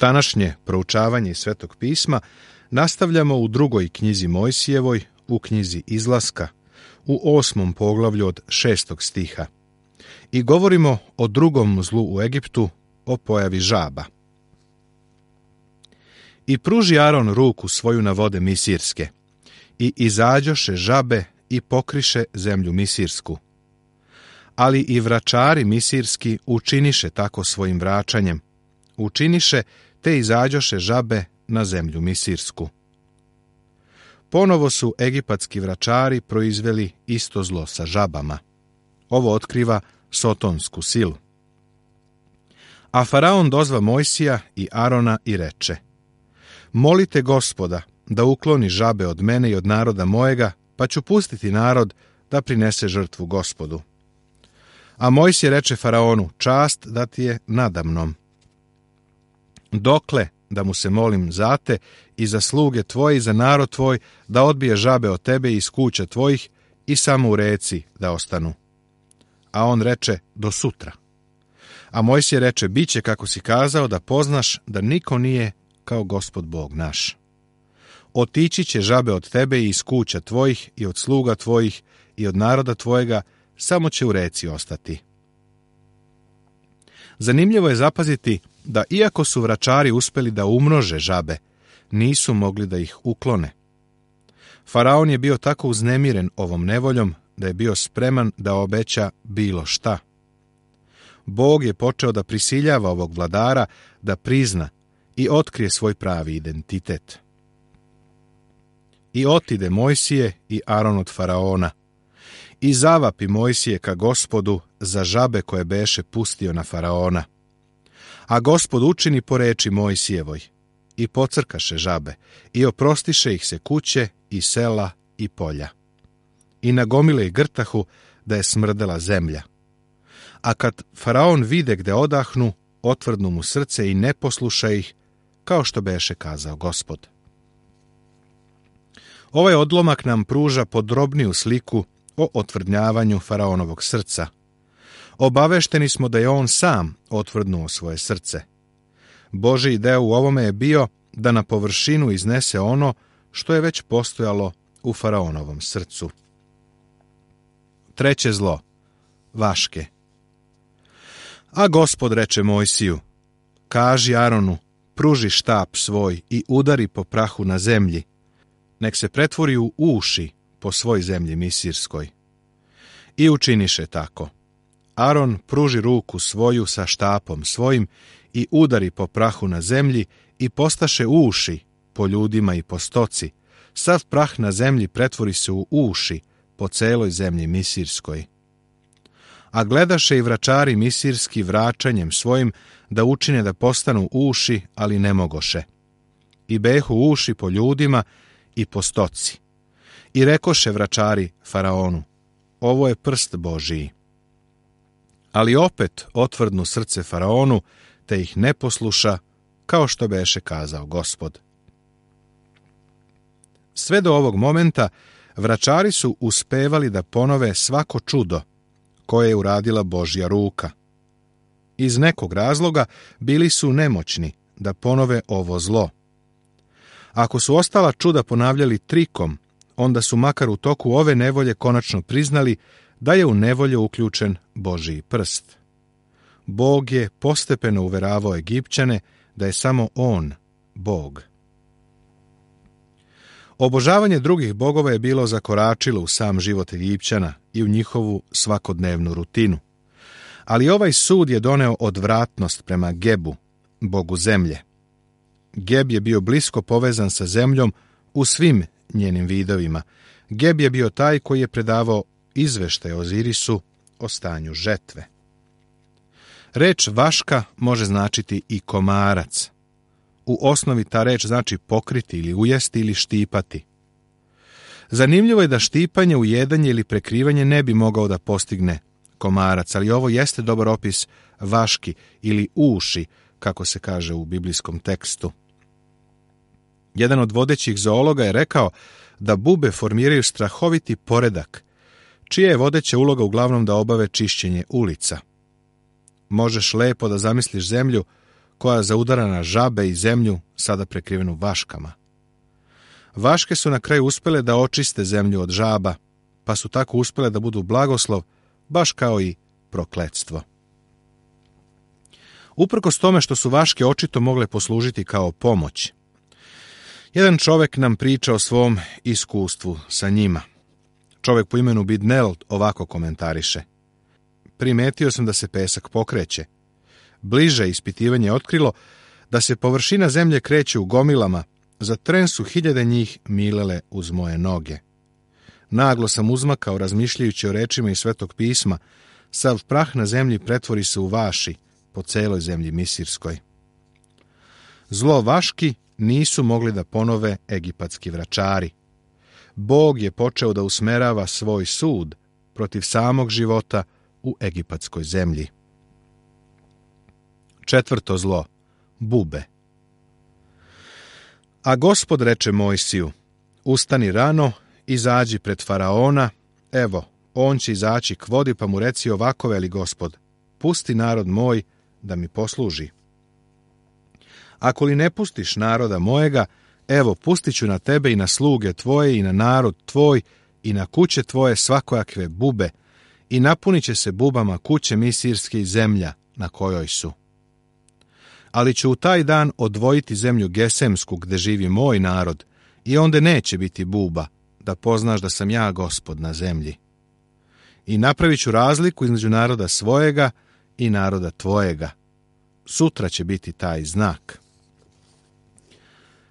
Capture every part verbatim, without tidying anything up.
Današnje proučavanje Svetog pisma nastavljamo u drugoj knjizi Mojsijevoj, u knjizi Izlaska, u osmom poglavlju od šestog stiha. I govorimo o drugom zlu u Egiptu, o pojavi žaba. I pruži Aron ruku svoju na vode misirske, i izađoše žabe i pokriše zemlju misirsku. Ali i vračari misirski učiniše tako svojim vraćanjem, učiniše te izađoše žabe na zemlju misirsku. Ponovo su egipatski vračari proizveli isto zlo sa žabama. Ovo otkriva sotonsku silu. A faraon dozva Mojsija i Arona i reče: molite Gospoda da ukloni žabe od mene i od naroda mojega, pa ću pustiti narod da prinese žrtvu Gospodu. A Mojsije reče faraonu: čast da ti je nadamnom. Dokle da mu se molim za te i za sluge tvoje i za narod tvoj, da odbije žabe od tebe i iz kuća tvojih i samo u reci da ostanu. A on reče: do sutra. A Mojsije reče: biće kako si kazao, da poznaš da niko nije kao Gospod Bog naš. Otići će žabe od tebe i iz kuća tvojih i od sluga tvojih i od naroda tvojega, samo će u reci ostati. Zanimljivo je zapaziti da iako su vračari uspeli da umnože žabe, nisu mogli da ih uklone. Faraon je bio tako uznemiren ovom nevoljom da je bio spreman da obeća bilo šta. Bog je počeo da prisiljava ovog vladara da prizna i otkrije svoj pravi identitet. I otide Mojsije i Aron od faraona, i zavapi Mojsije ka Gospodu za žabe koje beše pustio na faraona. A Gospod učini po reči Mojsijevoj, i pocrkaše žabe, i oprostiše ih se kuće i sela i polja. I nagomile ih grtahu da je smrdela zemlja. A kad faraon vide gde odahnu, otvrdnu mu srce i ne posluša ih, kao što beše kazao Gospod. Ovaj odlomak nam pruža podrobniju sliku o otvrdnjavanju faraonovog srca. Obavešteni smo da je on sam otvrdnuo svoje srce. Božji deo u ovome je bio da na površinu iznese ono što je već postojalo u faraonovom srcu. Treće zlo, vaške. A Gospod reče Mojsiju: kaži Aronu, pruži štap svoj i udari po prahu na zemlji, nek se pretvori u uši po svoj zemlji misirskoj. I učiniše tako. Aron pruži ruku svoju sa štapom svojim i udari po prahu na zemlji i postaše uši po ljudima i po stoci. Sav prah na zemlji pretvori se u uši po celoj zemlji misirskoj. A gledaše i vračari misirski vraćanjem svojim da učine da postanu uši, ali ne mogoše. I behu uši po ljudima i po stoci. I rekoše vračari faraonu: ovo je prst Božiji. Ali opet otvrdnu srce faraonu, te ih ne posluša, kao što beše kazao Gospod. Sve do ovog momenta vračari su uspevali da ponove svako čudo koje je uradila Božja ruka. Iz nekog razloga bili su nemoćni da ponove ovo zlo. Ako su ostala čuda ponavljali trikom, onda su makar u toku ove nevolje konačno priznali da je u nevolju uključen Božji prst. Bog je postepeno uveravao Egipćane da je samo on Bog. Obožavanje drugih bogova je bilo zakoračilo u sam život Egipćana i u njihovu svakodnevnu rutinu. Ali ovaj sud je doneo odvratnost prema Gebu, bogu zemlje. Geb je bio blisko povezan sa zemljom u svim njenim vidovima. Geb je bio taj koji je predavao izveštaj Ozirisu o stanju žetve. Reč vaška može značiti i komarac. U osnovi ta reč znači pokriti ili ujesti ili štipati. Zanimljivo je da štipanje, ujedanje ili prekrivanje ne bi mogao da postigne komarac, ali ovo jeste dobar opis vaški ili uši, kako se kaže u biblijskom tekstu. Jedan od vodećih zoologa je rekao da bube formiraju strahoviti poredak, čija je vodeća uloga uglavnom da obave čišćenje ulica. Možeš lepo da zamisliš zemlju koja zaudara na žabe i zemlju, sada prekrivenu vaškama. Vaške su na kraju uspjele da očiste zemlju od žaba, pa su tako uspjele da budu blagoslov, baš kao i prokletstvo. Uprkos tome što su vaške očito mogle poslužiti kao pomoć, jedan čovjek nam priča o svom iskustvu sa njima. Čovjek po imenu Bidnel ovako komentariše: primetio sam da se pesak pokreće. Bliže ispitivanje je otkrilo da se površina zemlje kreće u gomilama, za tren su hiljade njih milele uz moje noge. Naglo sam uzmakao razmišljajući o rečima iz Svetog pisma, sav prah na zemlji pretvori se u vaši po celoj zemlji misirskoj. Zlo vaški nisu mogli da ponove egipatski vračari. Bog je počeo da usmerava svoj sud protiv samog života u egipatskoj zemlji. Četvrto zlo, bube. A Gospod reče Mojsiju: ustani rano, izađi pred faraona, evo, on će izaći k vodi, pa mu reci ovako veli Gospod: pusti narod moj da mi posluži. Ako li ne pustiš naroda mojega, evo, pustit ću na tebe i na sluge tvoje i na narod tvoj i na kuće tvoje svakojakve bube i napunit će se bubama kuće misirske i zemlja na kojoj su. Ali ću u taj dan odvojiti zemlju Gesemsku gde živi moj narod i onda neće biti buba, da poznaš da sam ja Gospod na zemlji. I napravit ću razliku između naroda svojega i naroda tvojega. Sutra će biti taj znak.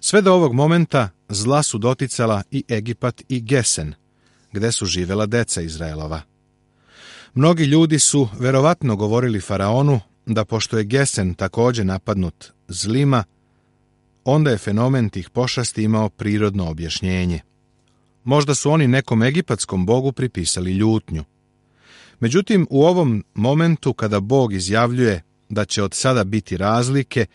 Sve do ovog momenta zla su doticala i Egipat i Gesen, gde su živela deca Izraelova. Mnogi ljudi su verovatno govorili faraonu da pošto je Gesen također napadnut zlima, onda je fenomen tih pošasti imao prirodno objašnjenje. Možda su oni nekom egipatskom bogu pripisali ljutnju. Međutim, u ovom momentu kada Bog izjavljuje da će od sada biti razlike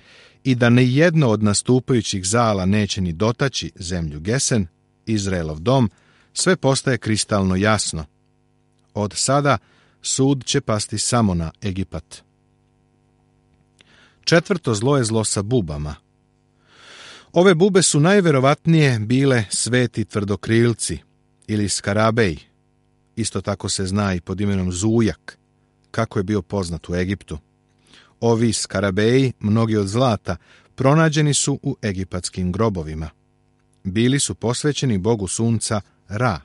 i da ni jedno od nastupajućih zala neće ni dotaći zemlju Gesen, Izraelov dom, sve postaje kristalno jasno. Od sada sud će pasti samo na Egipat. Četvrto zlo je zlo sa bubama. Ove bube su najverovatnije bile sveti tvrdokrilci ili skarabeji. Isto tako se zna i pod imenom zujak, kako je bio poznat u Egiptu. Ovi skarabeji, mnogi od zlata, pronađeni su u egipatskim grobovima. Bili su posvećeni bogu sunca Ra.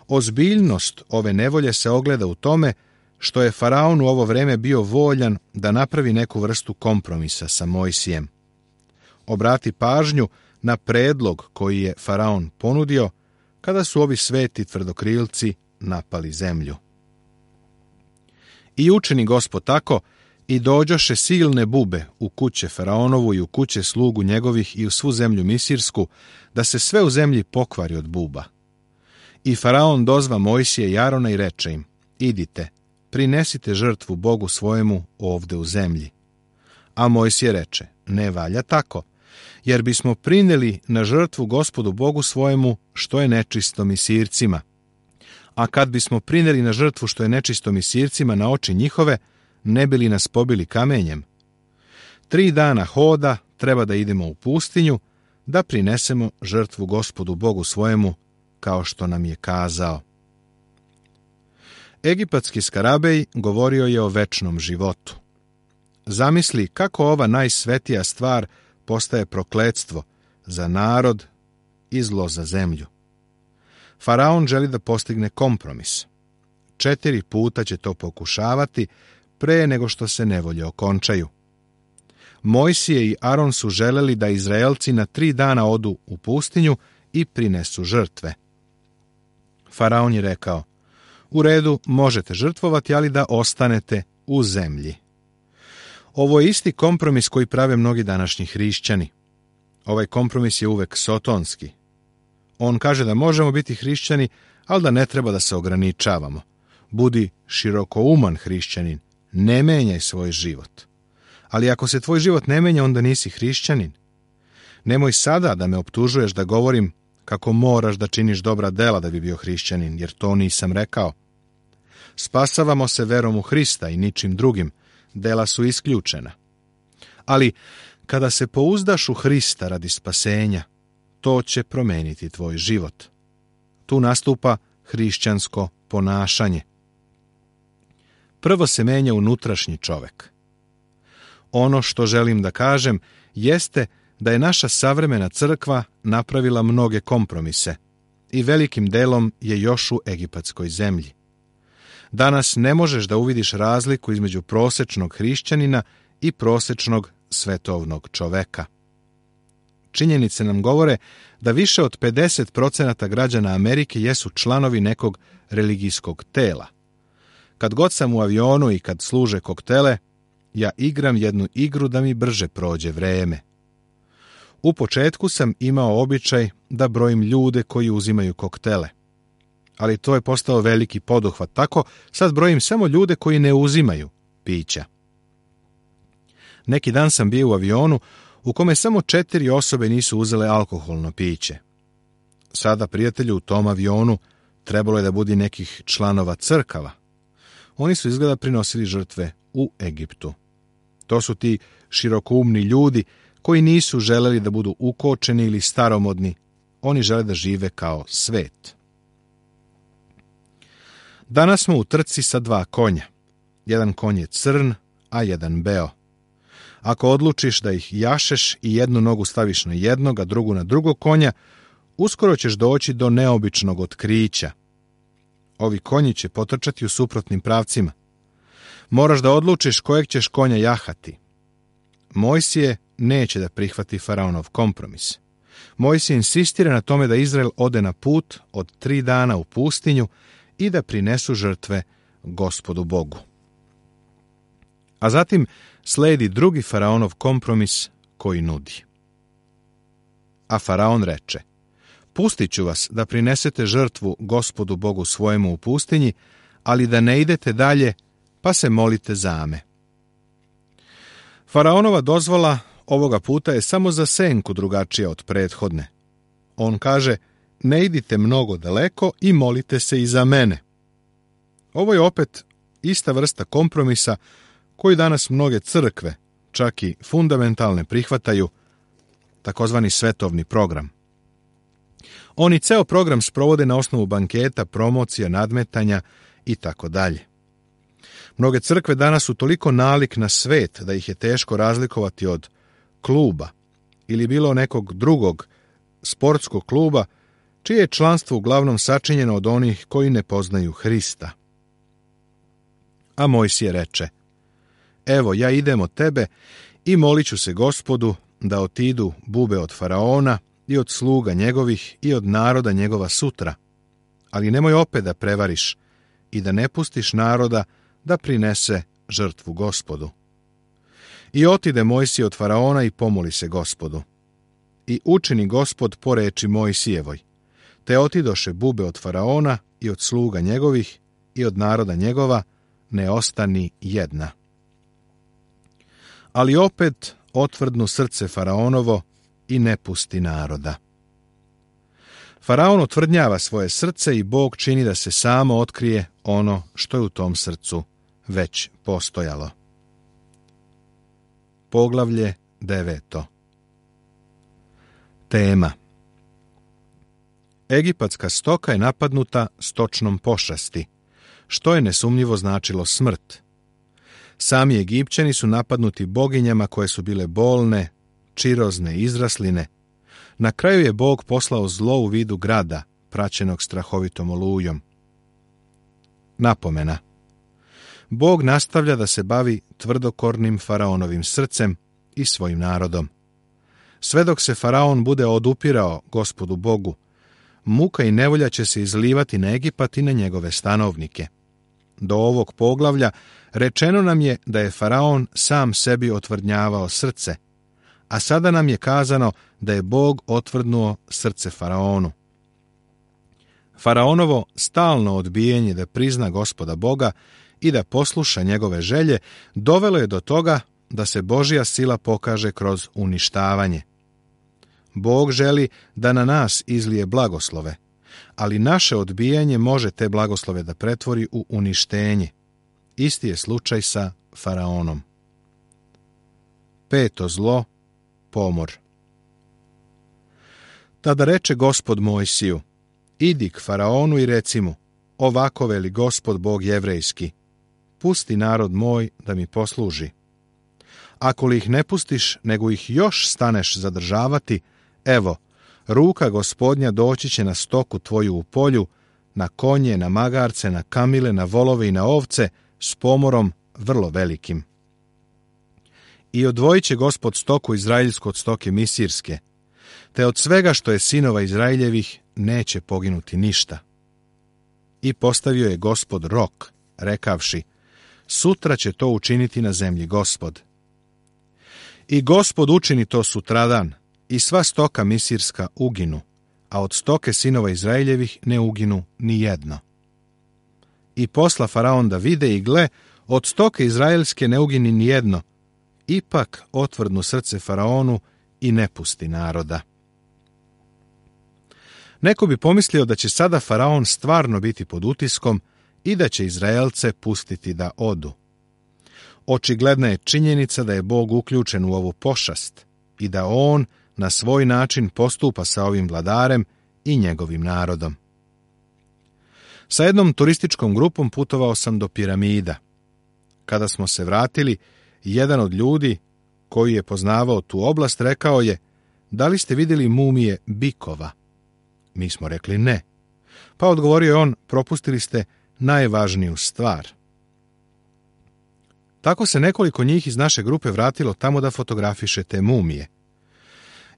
Ozbiljnost ove nevolje se ogleda u tome što je faraon u ovo vreme bio voljan da napravi neku vrstu kompromisa sa Mojsijem. Obrati pažnju na predlog koji je faraon ponudio kada su ovi sveti tvrdokrilci napali zemlju. I učini Gospod tako, i dođoše silne bube u kuće faraonovu i u kuće slugu njegovih i u svu zemlju misirsku, da se sve u zemlji pokvari od buba. I faraon dozva Mojsije i Arona i reče im: idite, prinesite žrtvu Bogu svojemu ovde u zemlji. A Mojsije reče: ne valja tako, jer bismo prineli na žrtvu Gospodu Bogu svojemu što je nečisto misircima. A kad bismo prineli na žrtvu što je nečisto misircima na oči njihove, ne bi li nas pobili kamenjem? Tri dana hoda treba da idemo u pustinju, da prinesemo žrtvu Gospodu Bogu svojemu, kao što nam je kazao. Egipatski skarabej govorio je o večnom životu. Zamisli kako ova najsvetija stvar postaje prokletstvo za narod i zlo za zemlju. Faraon želi da postigne kompromis. Četiri puta će to pokušavati pre nego što se nevolje okončaju. Mojsije i Aron su želeli da Izraelci na tri dana odu u pustinju i prinesu žrtve. Faraon je rekao: u redu, možete žrtvovati, ali da ostanete u zemlji. Ovo je isti kompromis koji prave mnogi današnji hrišćani. Ovaj kompromis je uvek sotonski. On kaže da možemo biti hrišćani, ali da ne treba da se ograničavamo. Budi širokouman hrišćanin, ne menjaj svoj život. Ali ako se tvoj život ne menja, onda nisi hrišćanin. Nemoj sada da me optužuješ da govorim kako moraš da činiš dobra dela da bi bio hrišćanin, jer to nisam rekao. Spasavamo se verom u Hrista i ničim drugim, dela su isključena. Ali kada se pouzdaš u Hrista radi spasenja, to će promeniti tvoj život. Tu nastupa hrišćansko ponašanje. Prvo se menja unutrašnji čovek. Ono što želim da kažem jeste da je naša savremena crkva napravila mnoge kompromise i velikim delom je još u egipatskoj zemlji. Danas ne možeš da uvidiš razliku između prosečnog hrišćanina i prosečnog svetovnog čoveka. Činjenice nam govore da više od pedeset procenata građana Amerike jesu članovi nekog religijskog tela. Kad god sam u avionu i kad služe koktele, ja igram jednu igru da mi brže prođe vreme. U početku sam imao običaj da brojim ljude koji uzimaju koktele. Ali to je postao veliki poduhvat, tako sad brojim samo ljude koji ne uzimaju pića. Neki dan sam bio u avionu u kome samo četiri osobe nisu uzele alkoholno piće. Sada, prijatelju, u tom avionu trebalo je da budi nekih članova crkava. Oni su izgleda prinosili žrtve u Egiptu. To su ti širokoumni ljudi koji nisu želeli da budu ukočeni ili staromodni. Oni žele da žive kao svet. Danas smo u trci sa dva konja. Jedan konj je crn, a jedan beo. Ako odlučiš da ih jašeš i jednu nogu staviš na jednog, a drugu na drugog konja, uskoro ćeš doći do neobičnog otkrića. Ovi konji će potrčati u suprotnim pravcima. Moraš da odlučiš kojeg ćeš konja jahati. Mojsije neće da prihvati faraonov kompromis. Mojsije insistira na tome da Izrael ode na put od tri dana u pustinju i da prinesu žrtve Gospodu Bogu. A zatim sledi drugi faraonov kompromis koji nudi. A faraon reče: pustit ću vas da prinesete žrtvu Gospodu Bogu svojemu u pustinji, ali da ne idete dalje, pa se molite za me. Faraonova dozvola ovoga puta je samo za senku drugačija od prethodne. On kaže: ne idite mnogo daleko i molite se i za mene. Ovo je opet ista vrsta kompromisa koju danas mnoge crkve, čak i fundamentalne, prihvataju, takozvani svetovni program. Oni ceo program sprovode na osnovu banketa, promocija, nadmetanja i tako dalje. Mnoge crkve danas su toliko nalik na svet da ih je teško razlikovati od kluba ili bilo nekog drugog sportskog kluba čije je članstvo uglavnom sačinjeno od onih koji ne poznaju Hrista. A Mojsije reče: evo, ja idem od tebe i molit ću se Gospodu da otidu bube od faraona i od sluga njegovih i od naroda njegova sutra, ali nemoj opet da prevariš i da ne pustiš naroda da prinese žrtvu Gospodu. I otide Mojsije od faraona i pomoli se Gospodu. I učini Gospod po reči Mojsijevoj, te otidoše bube od faraona i od sluga njegovih i od naroda njegova, ne ostani jedna. Ali opet otvrdnu srce faraonovo i ne pusti naroda. Faraon otvrdnjava svoje srce i Bog čini da se samo otkrije ono što je u tom srcu već postojalo. Poglavlje deveto. Tema: egipatska stoka je napadnuta stočnom pošasti, što je nesumnjivo značilo smrt. Sami Egipćani su napadnuti boginjama koje su bile bolne, čirozne, izrasline. Na kraju je Bog poslao zlo u vidu grada, praćenog strahovitom olujom. Napomena: Bog nastavlja da se bavi tvrdokornim faraonovim srcem i svojim narodom. Sve dok se faraon bude odupirao Gospodu Bogu, muka i nevolja će se izlivati na Egipat i na njegove stanovnike. Do ovog poglavlja rečeno nam je da je faraon sam sebi otvrdnjavao srce, a sada nam je kazano da je Bog otvrdnuo srce faraonu. Faraonovo stalno odbijanje da prizna Gospoda Boga i da posluša njegove želje dovelo je do toga da se Božja sila pokaže kroz uništavanje. Bog želi da na nas izlije blagoslove, ali naše odbijanje može te blagoslove da pretvori u uništenje. Isti je slučaj sa faraonom. Peto zlo, pomor. Tada reče Gospod Mojsiju, idi k Faraonu i reci mu, ovako veli Gospod Bog jevrejski, pusti narod moj da mi posluži. Ako li ih ne pustiš, nego ih još staneš zadržavati, evo, ruka Gospodnja doći će na stoku tvoju u polju, na konje, na magarce, na kamile, na volove i na ovce, s pomorom vrlo velikim. I odvojit će Gospod stoku izraeljsku od stoke misirske, te od svega što je sinova Izraeljevih neće poginuti ništa. I postavio je Gospod rok, rekavši, sutra će to učiniti na zemlji Gospod. I Gospod učini to sutradan, i sva stoka misirska uginu, a od stoke sinova Izraeljevih ne uginu ni jedno. I posla Faraon da vide i gle, od stoke izraelske ne ugini ni jedno, ipak otvrdnu srce Faraonu i ne pusti naroda. Neko bi pomislio da će sada Faraon stvarno biti pod utiskom i da će Izraelce pustiti da odu. Očigledna je činjenica da je Bog uključen u ovu pošast i da on na svoj način postupa sa ovim vladarem i njegovim narodom. Sa jednom turističkom grupom putovao sam do piramida. Kada smo se vratili, jedan od ljudi koji je poznavao tu oblast rekao je, da li ste vidjeli mumije bikova? Mi smo rekli ne. Pa odgovorio je on, propustili ste najvažniju stvar. Tako se nekoliko njih iz naše grupe vratilo tamo da fotografiše te mumije.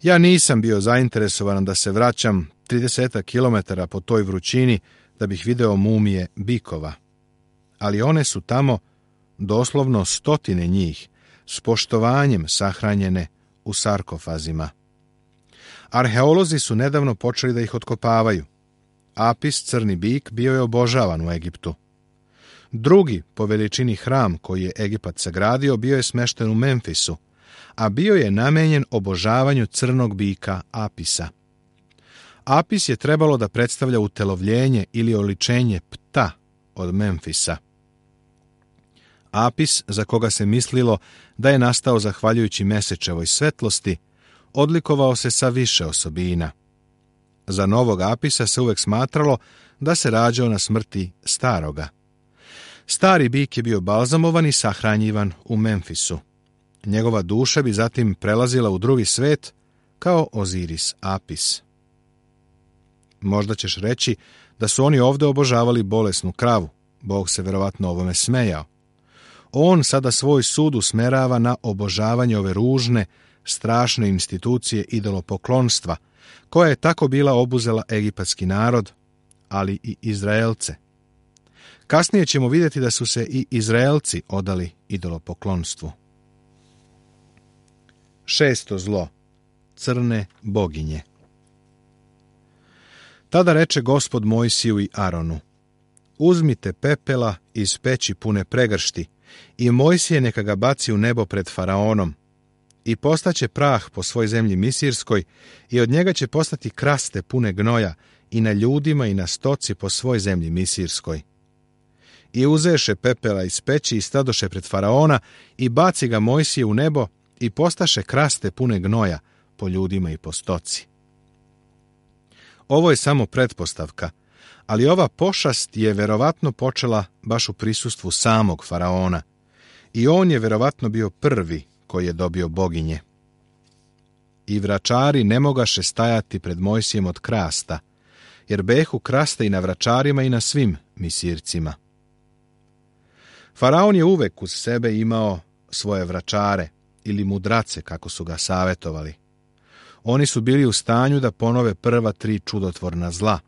Ja nisam bio zainteresovan da se vraćam trideset kilometara po toj vrućini da bih video mumije bikova. Ali one su tamo, doslovno stotine njih, s poštovanjem sahranjene u sarkofazima. Arheolozi su nedavno počeli da ih otkopavaju. Apis, crni bik, bio je obožavan u Egiptu. Drugi po veličini hram koji je Egipat sagradio bio je smešten u Memfisu, a bio je namenjen obožavanju crnog bika Apisa. Apis je trebalo da predstavlja utelovljenje ili oličenje Pta od Memfisa. Apis, za koga se mislilo da je nastao zahvaljujući mesečevoj svetlosti, odlikovao se sa više osobina. Za novog Apisa se uvek smatralo da se rađao na smrti staroga. Stari bik je bio balzamovan i sahranjivan u Memfisu. Njegova duša bi zatim prelazila u drugi svet kao Oziris Apis. Možda ćeš reći da su oni ovdje obožavali bolesnu kravu. Bog se verovatno ovome smejao. On sada svoj sud usmerava na obožavanje ove ružne, strašne institucije idolopoklonstva, koja je tako bila obuzela egipatski narod, ali i Izraelce. Kasnije ćemo vidjeti da su se i Izraelci odali idolopoklonstvu. Šesto zlo. Crne boginje. Tada reče Gospod Mojsiju i Aronu, uzmite pepela iz peći pune pregršti i Mojsije neka ga baci u nebo pred Faraonom i postaće prah po svoj zemlji misirskoj i od njega će postati kraste pune gnoja i na ljudima i na stoci po svoj zemlji misirskoj. I uzeše pepela iz peći i stadoše pred Faraona i baci ga Mojsije u nebo i postaše kraste pune gnoja po ljudima i po stoci. Ovo je samo pretpostavka, ali ova pošast je verovatno počela baš u prisustvu samog Faraona i on je verovatno bio prvi koji je dobio boginje. I vračari ne mogaše stajati pred Mojsijem od krasta, jer behu kraste i na vračarima i na svim misircima. Faraon je uvek uz sebe imao svoje vračare ili mudrace, kako su ga savetovali. Oni su bili u stanju da ponove prva tri čudotvorna zla.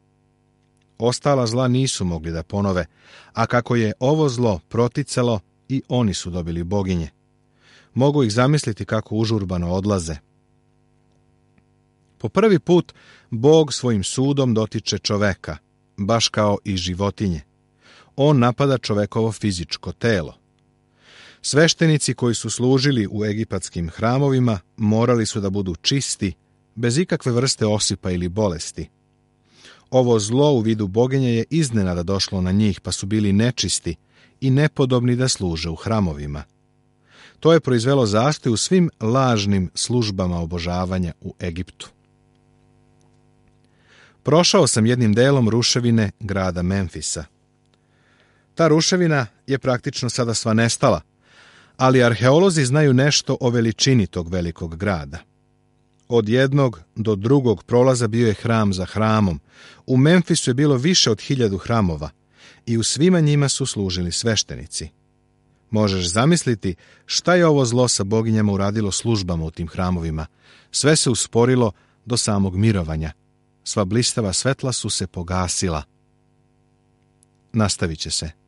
Ostala zla nisu mogli da ponove, a kako je ovo zlo proticalo, i oni su dobili boginje. Mogu ih zamisliti kako užurbano odlaze. Po prvi put Bog svojim sudom dotiče čoveka, baš kao i životinje. On napada čovekovo fizičko telo. Sveštenici koji su služili u egipatskim hramovima morali su da budu čisti, bez ikakve vrste osipa ili bolesti. Ovo zlo u vidu boginje je iznenada došlo na njih, pa su bili nečisti i nepodobni da služe u hramovima. To je proizvelo zastoj u svim lažnim službama obožavanja u Egiptu. Prošao sam jednim delom ruševine grada Memfisa. Ta ruševina je praktično sada sva nestala, ali arheolozi znaju nešto o veličini tog velikog grada. Od jednog do drugog prolaza bio je hram za hramom. U Memfisu je bilo više od hiljadu hramova i u svima njima su služili sveštenici. Možeš zamisliti šta je ovo zlo sa boginjama uradilo službama u tim hramovima. Sve se usporilo do samog mirovanja. Sva blistava svetla su se pogasila. Nastavit će se.